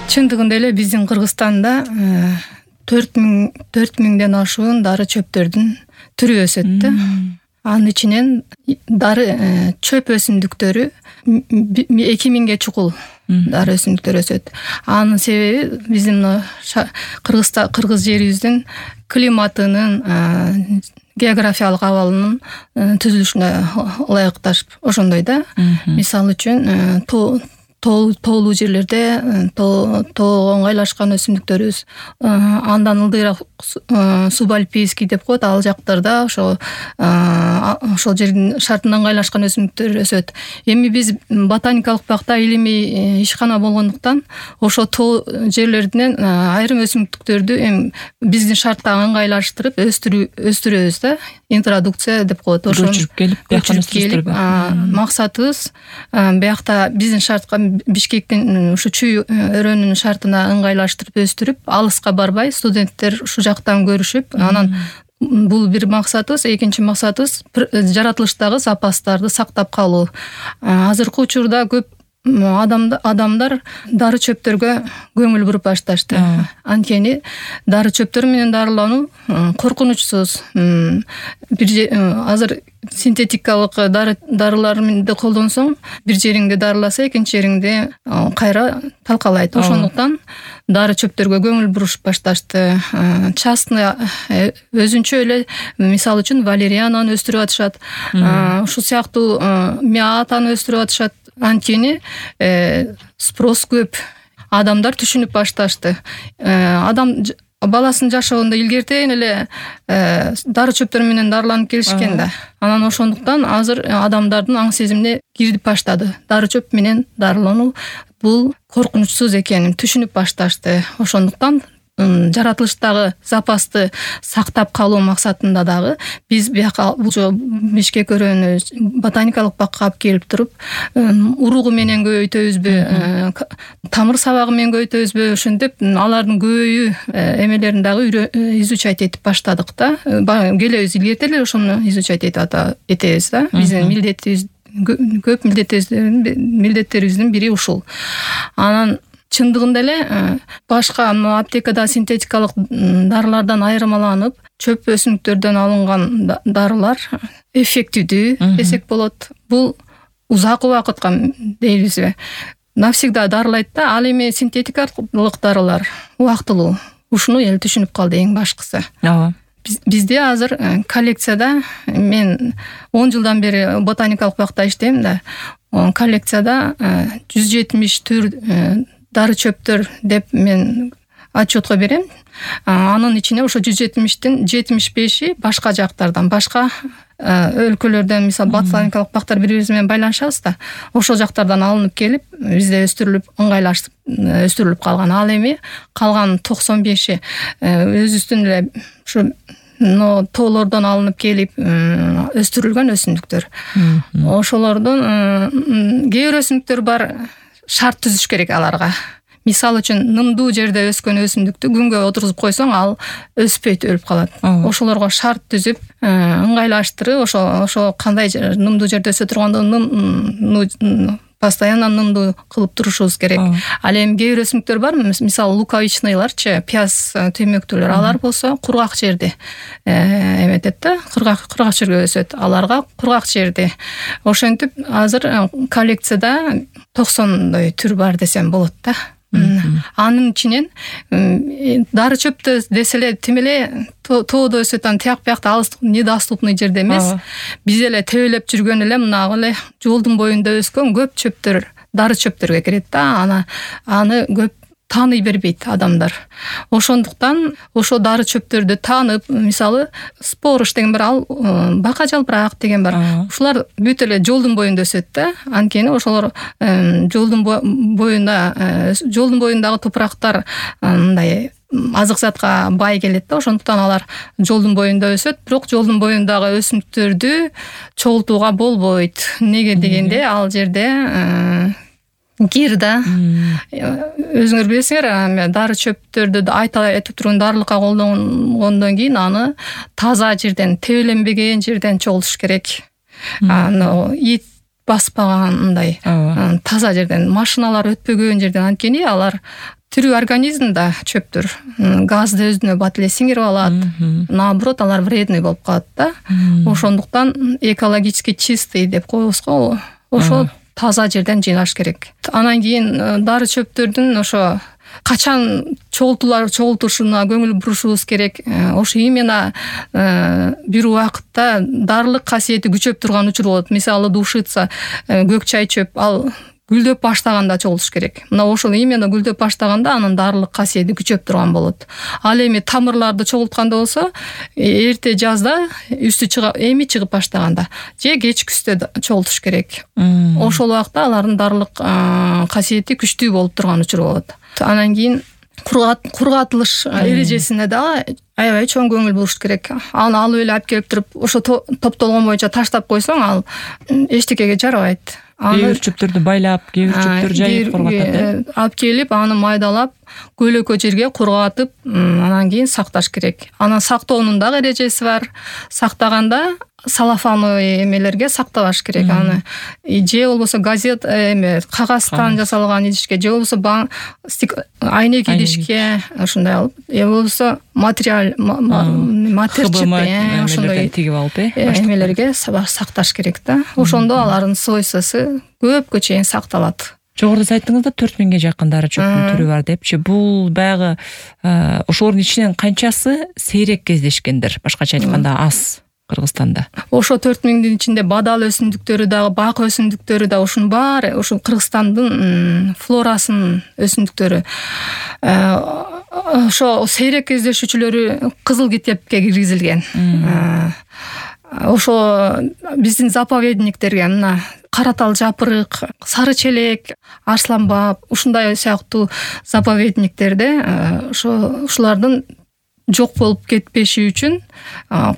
Чындыгында эле биздин Кыргызстанда 4000ден ашуун дары чөптөрдүн түрү өсөт да. Анын ичинен дары чөп өсүмдүктөрү 2000ге чукул дары өсүмдүктөр өсөт. Анын себеби биздин кыргыз жерибиздин климатынын, географиялык абалынын түзүлүшүнө ылайыкташып ошондой да. Мисалы үчүн тоолуу жерлерде тоого оңгайлашкан өсүмдүктөрүбүз, андан ылдыйраак субальпийский деп коет, ал жактарда ошол жердин шартына ыңгайлашкан өсүмдүктөр өсөт. Эми биз ботаникалык бакта илимий ишкана болгондуктан ошо тоо жерлеринен айрым өсүмдүктөрдү эми биздин шартка ыңгайлаштырып өстүрөбүз да. Интродукция деп коет. Ошо көчүрүп келип, максатыбыз биякта биздин шартка Бишкектин ушу чүй өрөөнүнүн шартына ыңгайлаштырып өстүрүп, алыска барбай студенттер ушу жактан көрүшүп, анан бул бир максатыбыз. Экинчи максатыбыз жаратылыштагы запастарды сактап калуу. Азыркы учурда көп адамдар дары чөптөргө көңүл буруп башташты. Анткени дары чөптөр менен дарылануу коркунучсуз. Азыр синтетикалык дарыларды колдонсоң, бир жериңди дарыласа, экинчи жериңди кайра талкалайт. Ошондуктан дары чөптөргө көңүл бурушуп башташты. Частный өзүнчө эле, мисалы үчүн, валериананы өстүрүп атышат. Ушул сыяктуу мятаны өстүрүп атышат. Анткени спрос көп. Адамдар түшүнүп башташты. Адам баласын жашоонда илгертен эле дары чөптөр менен дарыланып келишкен да. Анан ошондуктан азыр адамдардын аң сезимине кирип баштады. Дары чөп менен дарылануу бул коркунучсуз экенин түшүнүп башташты. Ошондуктан жаратылыштагы запасты сактап калуу максатында дагы биз бияка Бишкек өрөөнү ботаникалык бакка алып келип туруп, уругу менен көбөйтөбүзбү, тамыр сабагы менен көбөйтөбүзбү, ошентип алардын көбөйүү эмелерин дагы изучать этип баштадык да. Келебиз илгерте эле ошону изучать этебиз да. Биздин милдетибиз көп, милдеттерибиздин бири ушул. Анан чындыгында эле башка аптекада синтетикалык дарылардан айырмаланып, чөп өсүмдүктөрдөн алынган дарылар эффективдүү десек болот. Бул узак убакытка дейбизби, навсегда дарылайт да. Ал эми синтетикалык дарылар убактылуу. Ушуну эл түшүнүп калды эң башкысы. Бизде азыр коллекцияда, мен 10 жылдан бери ботаникалык бакта иштейм да, коллекцияда 170 түр дары чөптөр деп мен отчетко берем. Анын ичине ошо 170тин 75и башка жактардан, башка өлкөлөрдөн, мисалы ботаникалык бактар бири-бириз менен байланышабыз да. Ошол жактардан алынып келип, бизде өстүрүлүп, ыңгайлашып өстүрүлүп калган. Ал эми калган 95и өзүбүздүн эле ушу тоолордон алынып келип өстүрүлгөн өсүмдүктөр. Ошолордон кээ бир өсүмдүктөр бар, шарт түзүш керек аларга. Мисалы үчүн, нымдуу жерде өскөн өсүмдүктү күнгө отургузуп койсоң, ал өспөйт, өлүп калат. Ошолорго шарт түзүп, ыңгайлаштырып, ошо кандай нымдуу жерде өсө тургандыгын постоянно нымдуу кылып турушубуз керек. Ал эми кээ бир өсүмдүктөр бар, мисалы луковичныйларчы, пияз төмөктүүлөр, алар болсо кургак жерди эметет да, кургак жерге өсөт. Аларга кургак жерди. Ошентип азыр коллекцияда 90 түр бар десем болот да. Анын ичинен дары чөптө деселе тим эле тоодо өсөт, тияк биякта алыс, недоступный жерде эмес. Биз эле тебелеп жүргөн эле мына эле жолдун боюнда өскөн көп чөптөр дары чөптөргө кирет да. Аны көп тааный бербейт адамдар. Ошондуктан ошо дары чөптөрдү таанып, мисалы спорыш деген бар, ал бака жалбырак деген бар. Ушулар бүт эле жолдун боюнда өсөт да. Анткени ошолор жолдун боюндагы топурактар мындай азык затка бай келет да. Ошондуктан алар жолдун боюнда өсөт, бирок жолдун боюндагы өсүмдүктөрдү чогултууга болбойт. Неге дегенде, ал жерде кир да. Өзүңөр билесиңер, дары чөптөрдү айтып турган дарылыкка колдонгондон кийин аны таза жерден, тебеленбеген жерден чогултуш керек. Ит баспагандай таза жерден, машиналар өтпөгөн жерден. Анткени алар тирүү организмда чөптөр газды өзүнө бат эле сиңирип алат, наоборот алар вредный болуп калат да. Ошондуктан экологически чистый деп коебуз го, ошо таза жерден жыйнаш керек. Анан кийин дары чөптөрдүн ошо качан чогултушуна көңүл бурушубуз керек. Ошо именно бир убакытта дарылык касиети күчөп турган учур болот. Мисалы душица, көк чай чөп, ал гүлдөп баштаганда чогултуш керек. Мына ошол именно гүлдөп баштаганда анын дарылык касиети күчөп турган болот. Ал эми тамырларды чогултканда болсо, эрте жазда үстү чыгып баштаганда же кеч күздө чогултуш керек. Ошол убакта алардын дарылык касиети күчтүү болуп турган учур болот. Анан кийин кургатылыш эрежесине да аябай чоң көңүл буруш керек. Аны алып эле алып келип туруп, ошо топтолгон боюнча таштап койсоң, ал эчтекеге жарабайт. Кээ бир чөптөрдү байлап, кээ бир чөптөр жайып кургатат. Алып келип, аны майдалап, көлөкө жерге кургатып, анан кийин сакташ керек. Анан сактоонун дагы эрежеси бар. Сактаганда салафановый эмелерге сактабаш керек аны. Же болбосо газет кагаздан жасалган идишке, же болбосо айнек идишке ушундай алып, же болбосо матер ошондой тигип алып, эмелерге сакташ керек да. Ошондо алардын свойствосу көпкө чейин сакталат. Жогоруда айттыңыз да 4000ге жакын дары чөптүн түрү бар депчи. Бул баягы ошолордун ичинен канчасы сейрек кездешкендир? Башкача айтканда аз Кыргызстанда. Ошо 4000дин ичинде бадал өсүмдүктөрү дагы, бак өсүмдүктөрү да ушунун баары ошо Кыргызстандын флорасынын өсүмдүктөрү. Ошо сейрек кездешүүчүлөрү кызыл китепке киргизилген. Ошо биздин заповедниктерге мына Каратал жапырык, Сары челек, Арсланбап ушундай сыяктуу заповедниктерде ушулардын жок болуп кетпеши үчүн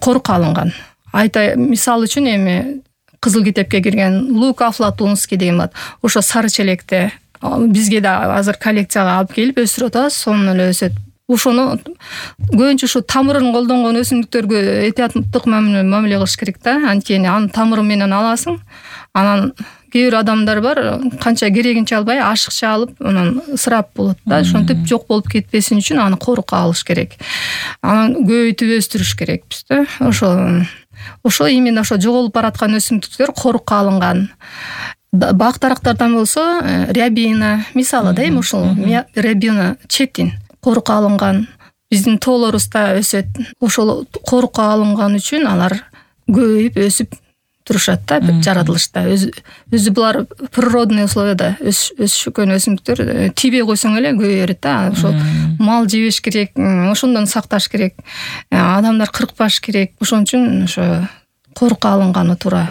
корукка алынган. Мисал үчүн эми кызыл китепке кирген Лук афлатунский деген бар. Ошо Сары челекте бизге да азыр коллекцияга алып келип өсүрүп атабыз, сонун эле өсөт. Ошону көбүнчө ушу тамырын колдонгон өсүмдүктөргө этияттык мамиле кылыш керек да. Анткени анын тамыры менен аласың. Анан кээ бир адамдар бар, канча керегинче албай, ашыкча алып, анан ысырап болот да. Ошентип жок болуп кетпесин үчүн аны корукка алыш керек. Анан көбөйтүп өстүрүш керекпиз да. Ошо именно ошо жоголуп бараткан өсүмдүктөр корукка алынган. Бак дарактардан болсо, рябина, мисалы да, эми ушул рябина четин корукка алынган. Биздин тоолорубузда өсөт. Ошол корукка алынган үчүн алар көбөйүп өсүп турушат да, жаратылышта. Өзү булар природный условияда өсүшкөн өсүмдүктөр. Тийбей койсоң эле көбөйө берет да. Ошо мал жебеш керек, ошондон сакташ керек. Адамдар кыркпаш керек. Ошон үчүн ошо корукка алынганы туура.